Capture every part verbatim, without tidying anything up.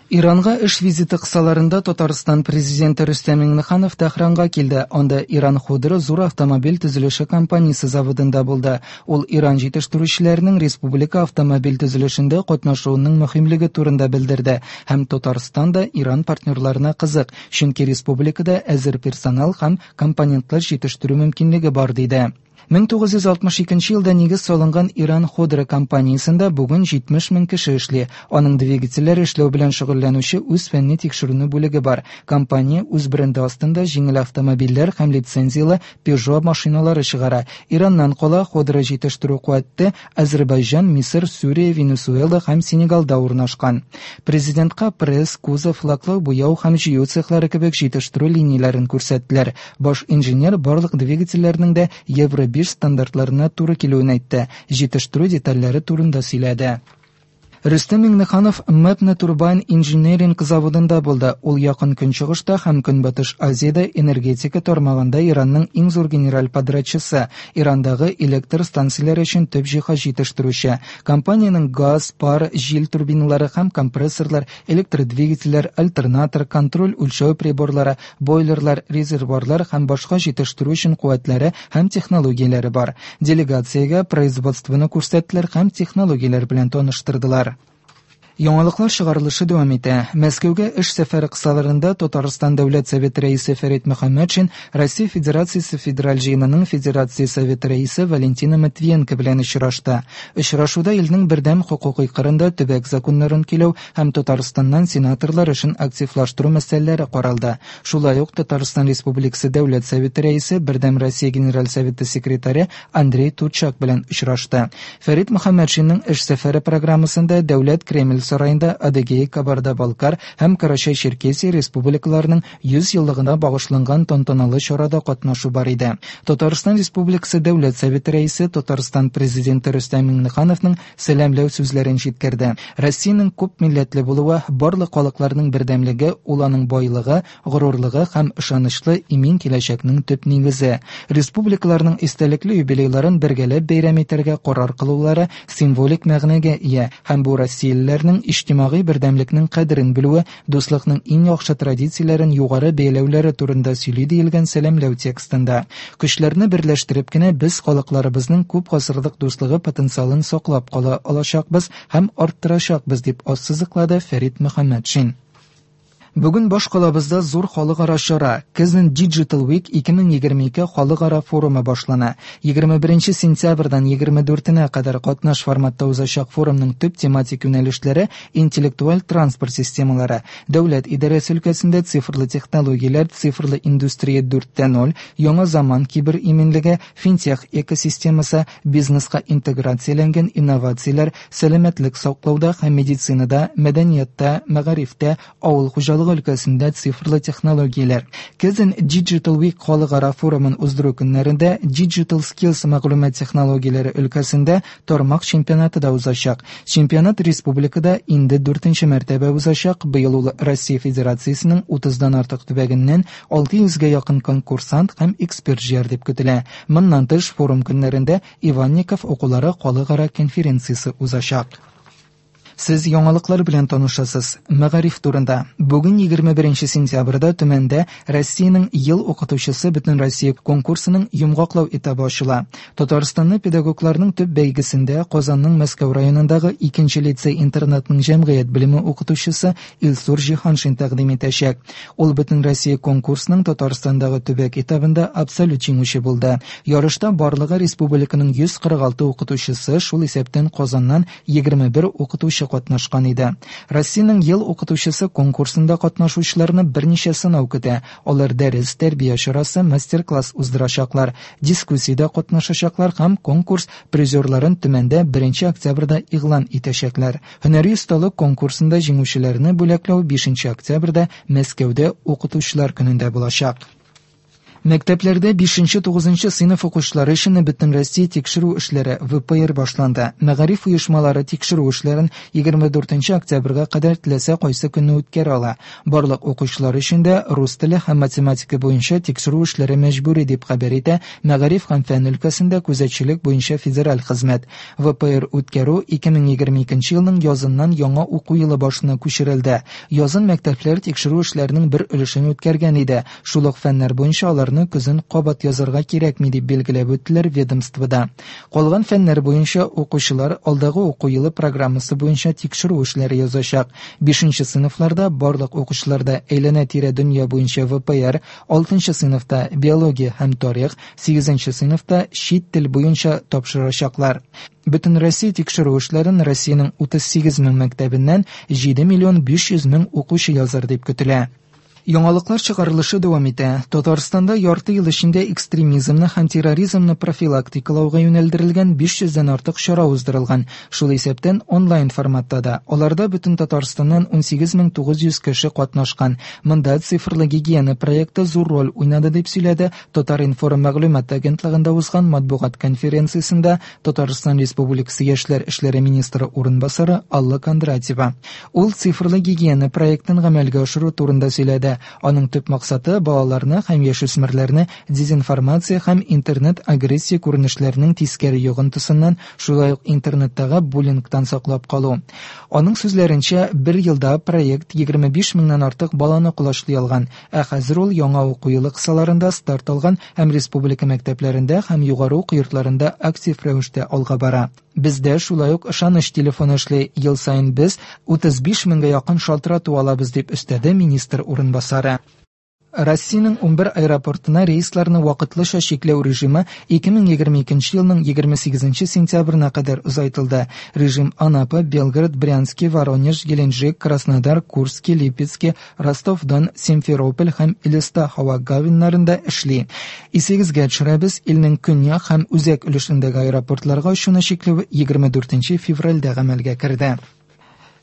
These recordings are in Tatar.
Иранга эш визиты кысаларында Татарстан президенты Рөстәм Миңнеханов Тәһранга килде. Анда Иран Худро зур автомобиль төзелеше компаниясе заводында булды. Ул Иран җитештерүчеләренең республика автомобиль төзелешендә катнашуының мөһимлеге турында белдерде. Һәм Татарстан да Иран партнерларына кызык, чөнки республикада әзер персонал һәм компонентлар җитештерү мөмкинлеге бар, диде. мең тугыз йөз алтмыш икенче елда нигез салынган Иран Худро компаниясендә бүген җитмеш мең кеше эшли. Аның двигательләр эшләү белән шөгыльләнүче үз фәнни тикшеренү бүлеге бар. Компания үз бренды астында җиңел автомобильләр һәм лицензияле Peugeot машиналары чыгара. Ираннан кала Худро җитештерү куәте Азербайҗан, Мисыр, Сүрия, Венесуэла һәм Сенегалда урнашкан. Президентка пресс, кузов, лаклау, буяу һәм җыю цехлары кебек җитештерү линияләрен күрсәттеләр. Баш инженер барлык двигательләрнең дә Евро биш стандартларына туры килүен әйтте. Җитештерү детальләре турында сөйләде. Рөстәм Миңнеханов Mapna Turbine Engineering заводында булды. Ул якын Көнчыгышта һәм Көнбатыш Азиядә энергетика тармагында Иранның иң зур генераль подрядчысы, Ирандагы электр станцияләре өчен төп җиһаз җитештерүче. Компаниянең газ, пар, җил турбиналары һәм компрессорлар, электродвигательләр, альтернатор, контроль үлчәү приборлары, бойлерлар, резервуарлар һәм башка җитештерү өчен куәтләре һәм технологияләре бар. Делегациягә производствоны күрсәттеләр һәм технологияләр белән таныштырдылар. Яңалыклар чыгарылышы дәвам итә. Мәскәүгә эш сәфәре кысаларында Татарстан Дәүләт Советы рәисе Фәрит Мөхәммәтшин Россия Федерациясе Федераль Җыенының Федерация Советы рәисе Валентина Матвиенко белән очрашты. Очрашуда илнең бердәм хокукый кырында төбәк законнарын көйләү һәм Татарстаннан сенаторлар эшен активлаштыру мәсьәләләре каралды. Шулай ук Татарстан Республикасы Дәүләт Советы рәисе, Бердәм Россия Генераль Советы секретаре Андрей Турчак белән очрашты. Фәрит Мөхәммәтшинның эш сәфәре программасында Дәүләт Кремль сарайында Адыгея, Кабарда-Балкар һәм Карачай-Черкесия республикаларының йөз еллыгына багышланган тантаналы чарада катнашу бар иде. Татарстан Республикасы Дәүләт Советы рәисе Татарстан президенты Рөстәм Миңнехановның сәламләү сүзләрен җиткерде. Россиянең күп милләтле булуы, барлык халыкларның бердәмлеге, ул аның байлыгы, горурлыгы һәм ышанычлы имин киләчәкнең төп нигезе. Республикаларның истәлекле юбилейларын бергәләп бәйрәм итәргә карар кылулары символик мәгънәгә ия һәм бу россиялеләрнең иҗтимагый бердәмлекнең кадерен белүе, дуслыкның иң яхшы традицияләрен югары бәяләүләре турында сөйли диелгән сәламләү текстында. Көчләрне берләштереп кенә без халыкларыбызның күп гасырлык дуслыгы потенциалын саклап кала алачакбыз һәм арттырачакбыз, дип ассызыклады Фәрит Мөхәммәтшин. Бүген баш калабызда зур халыкара чара Kazan Digital Week ике мең егерме ике халыкара форумы башлана. Егерме беренче сентябрьдән егерме дүртенә кадәр катнаш форматта узачак форумның төп тематик юнәлешләре интеллектуаль транспорт системалары, дәүләт идарәсе өлкәсендә цифрлы технологияләр, цифрлы индустрия дүрт ноль, яңа заман кибер иминлеге, финтех экосистемасы, бизнеска интеграцияләнгән инновацияләр, сәламәтлек саклауда һәм медицинада, мәдәниятта, мәгарифтә, авыл хуҗалыгы өлкәсендә цифрлы технологияләр. Kazan Digital Week халыкара форумын уздыру көннәрендә Digital Skills мәгълүмат технологияләре өлкәсендә тармак чемпионаты да узачак. Чемпионат республикада инде дүртенче мәртәбә узачак. Быел ул Россия Федерациясенең утыздан артык төбәгеннән алты йөзгә якын конкурсант һәм эксперт җыяр дип көтелә. Моннан тыш форум көннәрендә Иванников укулары халыкара конференциясе узачак. Сез яңалыклар белән танышасыз. Мәгариф турында. Бүген егерме беренче сентябрьдә Төмәндә Россиянең ел укытучысы Бөтен Россия конкурсының йомгаклау этабы ачыла. Татарстанны педагогларның төп бәйгесендә Казанның Мәскәү районындагы икенче лицей-интернатның җәмгыять белеме укытучысы Илсур Җиһаншин тәкъдим итәчәк. Ул Бөтен Россия конкурсының Татарстандагы төбәк этабында абсолют җиңүче булды. Ярышта барлыгы республиканың йөз кырык алты укытучысы, шул исәптән Казаннан егерме бер укытучы катнашкан иде. Россиянең ел укытучысы конкурсында катнашучыларны берничә сынау көтә. Алар дәрес, тәрбия чарасы, мастер-класс уздырачаклар, дискуссиядә катнашачаклар һәм конкурс призерларын Төмәндә беренче октябрьдә игълан итәчәкләр. Һөнәри осталык конкурсында җиңүчеләрне бүләкләү бишенче октябрьдә Мәскәүдә укытучылар көнендә булачак. Мәктәпләрдә бишенче-тугызынчы сыйныф укучылары өчен Бөтенроссия тикшерү эшләре вэ пэ эр башланды. Мәгариф оешмалары тикшерү эшләрен егерме дүртенче октябрьгә кадәр теләсә кайсы көнне үткәрә ала. Барлык укучылар өчен дә рус теле һәм математика буенча тикшерү эшләре мәҗбүри дип хәбәр итә Мәгариф һәм фән өлкәсендә күзәтчелек буенча федераль хезмәт. вэ пэ эр үткәрү ике мең егерме икенче елның языннан яңа уку елы башына күчерелде. Язын мәктәпләр тикшерү эшләренең бер өлешен үткәргән иде. Шул ук фәннәр буенча аларны көзен кабат язарга кирәкми дип билгеләп үттеләр ведомствода. Калган фәннәр буенча укучылар алдагы уку елы программасы буенча тикшерү эшләре язачак. Бишенче сыйныфларда барлык укучыларда әйләнә-тирә дөнья буенча вэ пэ эр, алтынчы сыйныфта биология һәм тарих, сигезенче сыйныфта чит тел буенча тапшырачаклар. Бөтен Россия тикшерү эшләрен Россиянең утыз сигез мең мәктәбеннән җиде миллион биш йөз мең укучы язар дип көтелә. Яңалыклар чыгарылышы дәвам итә. Татарстанда ярты ел эчендә экстремизмны һәм терроризмны профилактикалауга юнәлдерелгән биш йөздән артык чара уздырылган. Шул исәптән онлайн форматта да. Аларда бөтен Татарстаннан ун сигез мең тугыз йөз кеше катнашкан. Монда цифрлы гигиена проекты зур роль уйнады дип сөйләде Татар-информ мәгълүмат агентлыгында узган матбугат конференциясендә Татарстан Республикасы Яшьләр эшләре министры урынбасары Алла Кондратьева. Ул цифрлы гигиена проектын гамәлгә ашыру турында сөйләде. Аның төп максаты балаларны һәм яшүсмерләрне дезинформация һәм интернет агрессия күренешләренең тискәре йогынтысыннан, шулай ук интернеттагы буллингтан саклап калу. Аның сүзләренчә, бер елда проект егерме биш меңнән артык баланы колачлый алган, ә хәзер ул яңа уку елы кысаларында старт алган һәм республика мәктәпләрендә һәм югары уку йортларында актив рәвештә алга бара. Бездә шулай ук ышаныч телефоны эшли. Ел саен без утыз биш меңгә якын шалтырату алабыз, дип өстәде министр урынбасары. Россиянең унбер аэропортына рейсларны вакытлыча чикләү режимы ике мең егерме икенче елның егерме сигезенче сентябренә кадәр озайтылды. Режим Анапа, Белгород, Брянский, Воронеж, Геленджик, Краснодар, Курский, Липецкий, Ростов-Дон, Симферополь һәм Элиста һава гаваньнарында эшли. Исегезгә төшерәбез, илнең көньяк һәм үзәк өлешендәге аэропортларга очуны чикләү егерме дүртенче февральдә гамәлгә керде.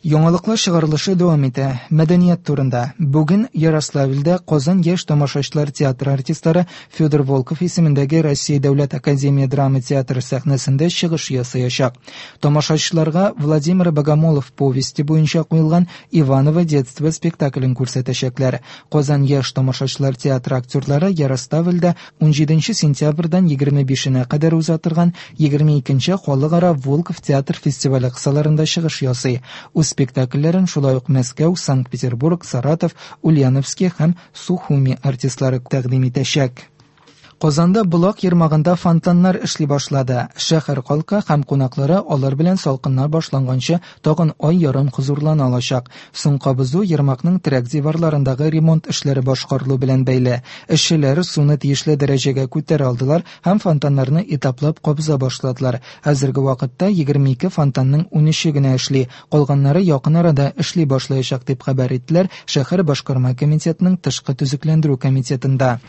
Яңалыклар чыгарылышы дәвам итә. Мәдәният турында. Бүген Ярославльдә Казан яшь тамашачылар театры артистлары Федор Волков исемендәге Россия дәүләт академия драма театры сәхнәсендә чыгыш ясаячак. Тамашачыларга Владимир Богомолов повести буенча куелган Иваново детство спектаклен күрсәтәчәкләр. Казан яшь тамашачылар театры актерлары Ярославльдә унҗиденче сентябрьдән егерме бишенә кадәр уза торган егерме икенче халыкара Волков театр фестивале кысаларында чыгыш ясый. Үз спектакльләрен шулай ук Мәскәү, Санкт-Петербург, Саратов, Ульяновский һәм Сухуми артистлары тәкъдим итәчәк. Казанда Болак ермагында фонтаннар эшли башлады. Шәһәр халкы һәм кунаклары алар белән салкыннар башланганчы тагын ай ярым хозурлана алачак. Соң кабызу ермакның терәк диварларындагы ремонт эшләре башкарылу белән бәйле. Эшчеләр суны тиешле дәрәҗәгә күтәрә алдылар һәм фонтаннарны этаплап кабыза башладылар. Хәзерге вакытта егерме ике фонтанның унөче генә эшли, калганнары якын арада эшли башлаячак дип хәбәр иттеләр шәһәр башкарма комитетының тышкы төзекләндерү комитетында.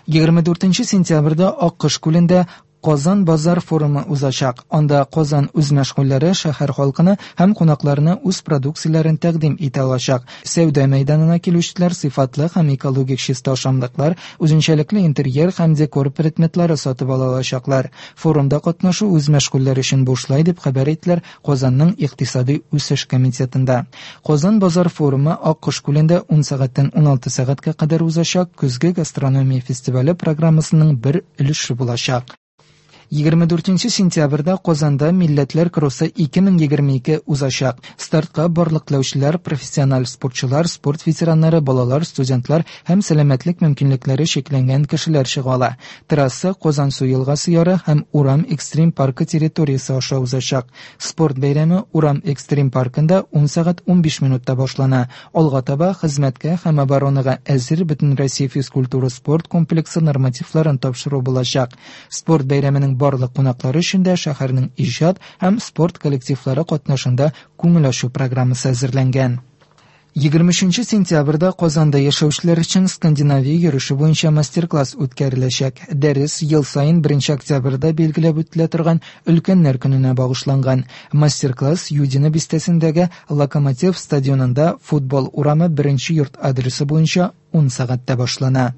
Егерме дүртенче сентябрьдә Аккош күлендә Казан базар форумы узачак. Анда Казан үзмәшгульләре шәһәр халкына һәм кунакларына үз продукцияләрен тәкъдим итә алачак. Сәүдә мәйданына килүчеләр сыйфатлы һәм экологик чиста ашамлыклар, үзенчәлекле интерьер һәм декор предметлары сатып ала алачаклар. Форумда катнашу үзмәшгульләр өчен бушлай дип хәбәр иттеләр Казанның икътисади үсеш комитетында. Казан базар форумы Аккош күлендә ун сәгатьтән уналты сәгатькә кадәр узачак. Көзге гастрономия фестивале программасының бер өлеше булачак. Егерме дүртенче сентябрьдә Казанда Милләтләр кроссы ике мең егерме ике узачак. Стартка барлык теләүчеләр, профессиональ спортчылар, спорт ветераннары, балалар, студентлар һәм сәламәтлек мөмкинлекләре чикләнгән кешеләр чыга ала. Трасса Казан су елгасы яры һәм Урам экстрим паркы территориясе аша узачак. Спорт бәйрәме Урам экстрим паркында ун сәгать унбиш минутта башлана. Алга таба хезмәткә һәм оборонага әзер Бөтенроссия физкультура спорт комплексы нормативларын тапшыру булачак. Спорт бәйрәменең барлык кунаклары өчен дә шәһәрнең иҗат һәм спорт коллективлары катнашында күңел ачу программасы әзерләнгән. Егерме өченче сентябрьдә Казанда яшәүчеләр өчен Скандинавия йөреше буенча мастер-класс үткәреләчәк. Дәрес ел саен беренче октябрьдә билгеләп үтелә торган Өлкәннәр көненә багышланган. Мастер-класс Юдино бистәсендәге Локомотив стадионында футбол урамы беренче йорт адресы буенча ун сәгатьтә башлана.